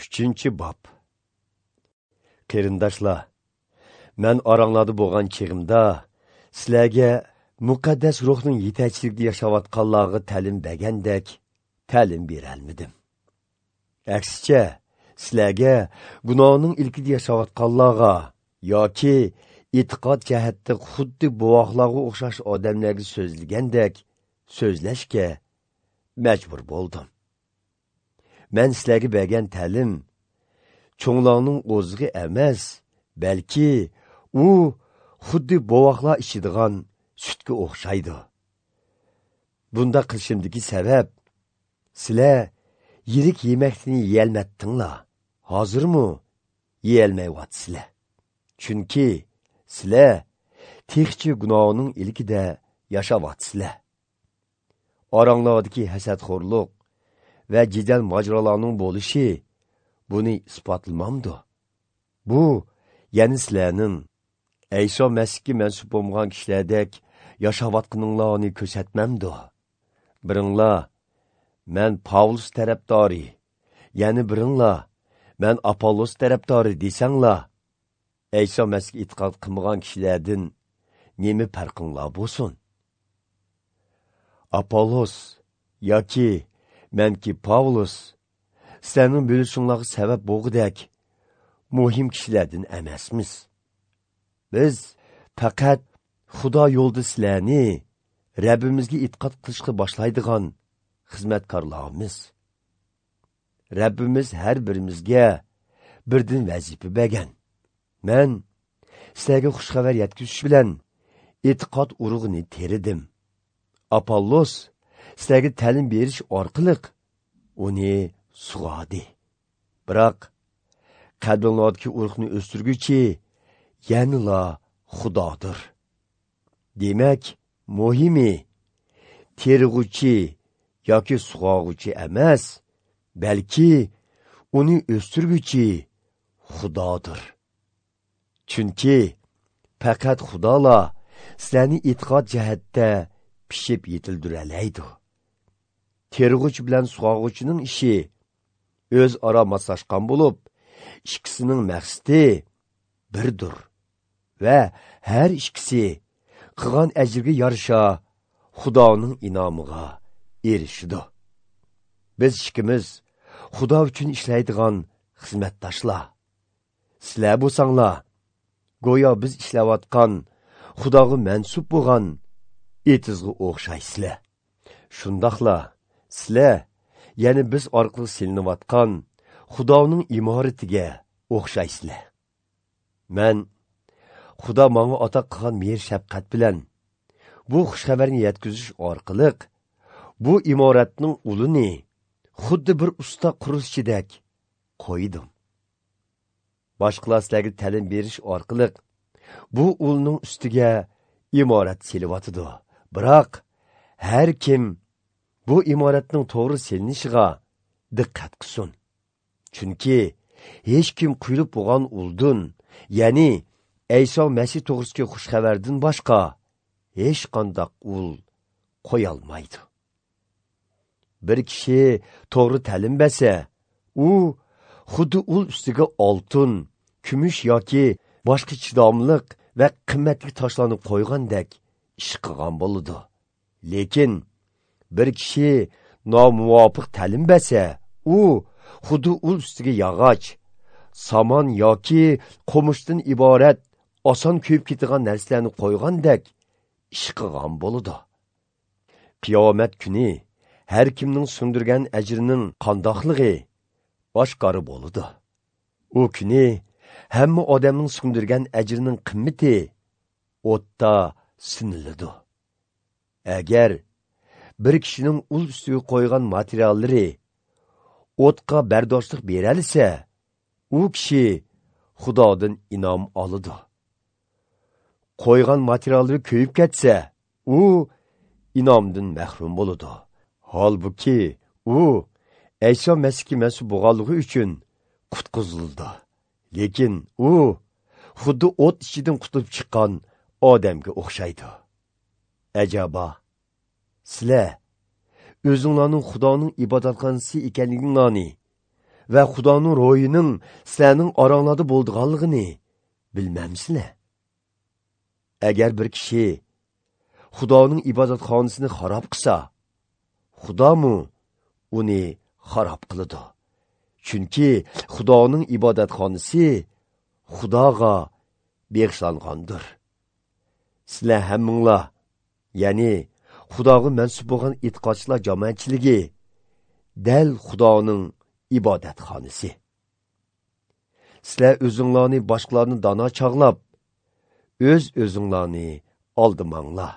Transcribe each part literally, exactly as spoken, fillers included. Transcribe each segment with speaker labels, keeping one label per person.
Speaker 1: Uchinchi bob. Qarindoshlar, men oranglarda bo'lgan chig'imda sizlarga muqaddas ruhning yetakchiligida yashayotganlarga ta'lim bergandek ta'lim berolmadim. Aksicha, sizlarga gunohning ilkida yashayotganlarga yoki e'tiqod jihatda xuddi buvoqlarga o'xshash odamlarga so'zlagandek so'zlashga majbur bo'ldim. Men sizlarga bergan ta'lim cho'nglarning o'zig'i emas, balki u xuddi bovoqlar ichadigan sutga o'xshaydi. Bunda qilishimdagi sabab, sizlar yirik yemakni yeyolmadinglar, hozirmi yeyolmayapsizlar. Chunki sizlar texchi gunohning ilkida yashayapsizlar. Oranglardagi hasadxo'rlik va jidal mojarolarning bo'lishi buni isbotlamamdi. Bu yana sizlarning Ayso Masihga mansub bo'lgan kishilardek yashayotganinglarni ko'rsatmamdi. Biringlar men Pavlus tarafdori, ya'ni biringlar men Apollos tarafdori desanglar, Ayso Masihga e'tiqod qilmagan kishilardan nima farqinglar bo'lsin? Apollos yoki menki Pavlus sizlarning bo'lishinglarga sabab bo'lgudek muhim kishilardan emasmiz. Biz faqat Xudo yo'lida sizlarni Rabbimizga e'tiqod qilishga boshlaydigan xizmatkorlarimiz. Rabbimiz har birimizga birdan vazifa bergan. Men sizlarga xush xabar yetkazish bilan e'tiqod urug'ini teridim. Apollos sizlarga ta'lim berish orqali uni sug'adi. Biroq qalbinglardagi urug'ni o'stirguchi yanala Xudodir. Demak, muhimi terg'uchi yoki sug'og'uchi emas, balki uni o'stirguchi Xudodir. Chunki faqat Xudola sizlarni e'tiqod jihatda pishib yetildiraydi. Terg'uchi bilan sug'og'uchining ishi o'zaro moslashgan bo'lib, ikkisining maqsadi birdir va har ikkisi qilgan ajrga yarasha Xudoning inomiga erishidi. Biz ikkimiz Xudo uchun ishlaydigan xizmatdoshlar. Sizlar bo'lsanglar, go'yo biz ishlayotgan Xudoga mansub bo'lgan etizga o'xshaysizlar. Shundoqla sizlar, ya'ni biz orqali selinayotgan Xudoning imoratiga o'xshaysizlar. Men Xudo menga ato qilgan mehr shafqat bilan bu xush xabarni yetkazish orqali bu imoratning ulini xuddi bir usta qurilishchidek qo'ydim. Boshqalar sizlarga ta'lim berish orqali bu ulning ustiga imorat selivyotidi. Biroq har kim bu imoratning to'g'ri selinishiga diqqat qilsin. Chunki hech kim quyilib bo'lgan uldun, ya'ni Ayso Masih to'g'risidagi xush xabardan boshqa hech qanday ul qo'yolmaydi. Bir kishi to'g'ri ta'lim bersa, u xuddi ul ustiga oltin, kumush yoki boshqa chidamliq va qimmatli toshlarni qo'ygandek ish qilgan bo'ladi. Lekin bir kishi nomuvofiq ta'lim bersa, u xuddi ul ustiga yog'och, somon yoki qomishdan iborat oson kuyib ketadigan narsalarni qo'ygandek ish qilgan bo'ladi. Qiyomat kuni har kimning sundirgan ajrining qandoqligi oshkora bo'ladi. U kuni hamma odamning sundirgan ajrining qimmati o'tda siniladi. Agar bir kishining ul ustiga qo'ygan materiallari o'tga bardoshlik beralsa, u kishi Xudodan inom oladi. Qo'ygan materiallari kuyib ketsa, u inomdan mahrum bo'ladi. Holbuki u Ayso Masihga mansub bo'lganligi uchun qutqizildi. Lekin u xuddi o't ichidan qutulib chiqqan odamga o'xshaydi. Ajaba, sizlar o'zinglarning Xudoning ibodatxonasi ekanliginglarni va Xudoning ro'yining sizlarning oranglarda bo'lganligini bilmamsizlar? Agar bir kishi Xudoning ibodatxonasini xarob qilsa, Xudomu uni xarob qiladi. Chunki Xudoning ibodatxonasi Xudoga bag'ishlangandir. Sizlar hammanglar, ya'ni Xudoga mansub bo'lgan e'tiqodchilar jamoatchiligi dal Xudoning ibodatxonasi. Sizlar o'zinglarni boshqalarni dono chog'lab, o'z o'zinglarni aldamanglar.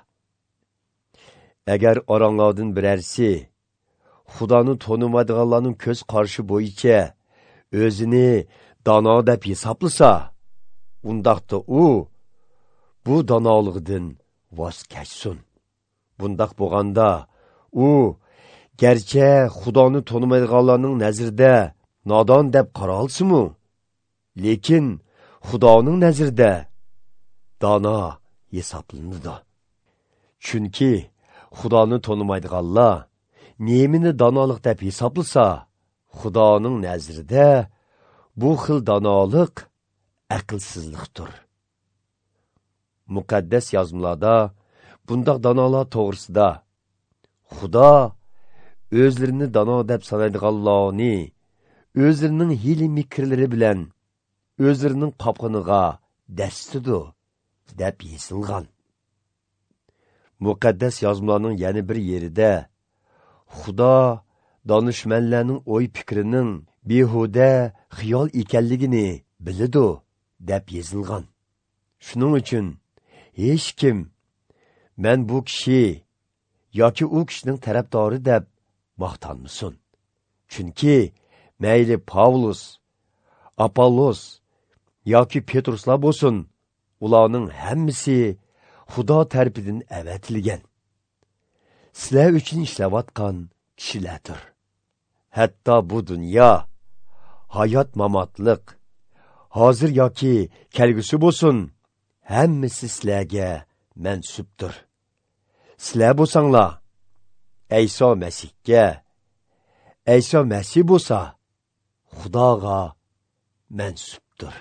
Speaker 1: Agar oranglardan birarsi Xudoni tonimaydiganlarning ko'z qarashi bo'yicha o'zini dono deb hisoblasa, undaqda u bu donolig'idan voz kechsin. Bundaq bo'lganda u garchi Xudoni tonimaydiganlarning nazarida nodon deb qaralsa-mu, lekin Xudoning nazarida dono hisoblanadi. Chunki Xudoni tonimaydiganlar nemini donolik deb hisoblasa, Xudoning nazarida bu xil donolik aqlsizlikdir. Muqaddas yozmalarda bundaq donolar to'g'risida Xudo o'zlarini dono deb sanaydiganlarni o'zlarining hiyla mikrlari bilan o'zlarining qopqiniga dastidi deb yozilgan. Muqaddas yozmalarning yana bir yerida Xudo donishmandlarning o'y fikrining behuda xiyol ekanligini biladi deb yozilgan. Shuning uchun hech kim men bu kishi yoki u kishining tarafdori deb maqtanmasin. Chunki mayli Pavlus, Apollos yoki Petruslar bo'lsin, ularning hammasi Xudo tarafidan avatilgan. Sizlar uchun ishlayotgan kishilardir. Hatto bu dunyo, hayot mamotliq, hozir yoki kelgusi bo'lsin, hammasi sizlarga mansubdir. Sizlar bo'lsanglar Ayso Masihga, Ayso Masih bo'lsa Xudoga mansubdir.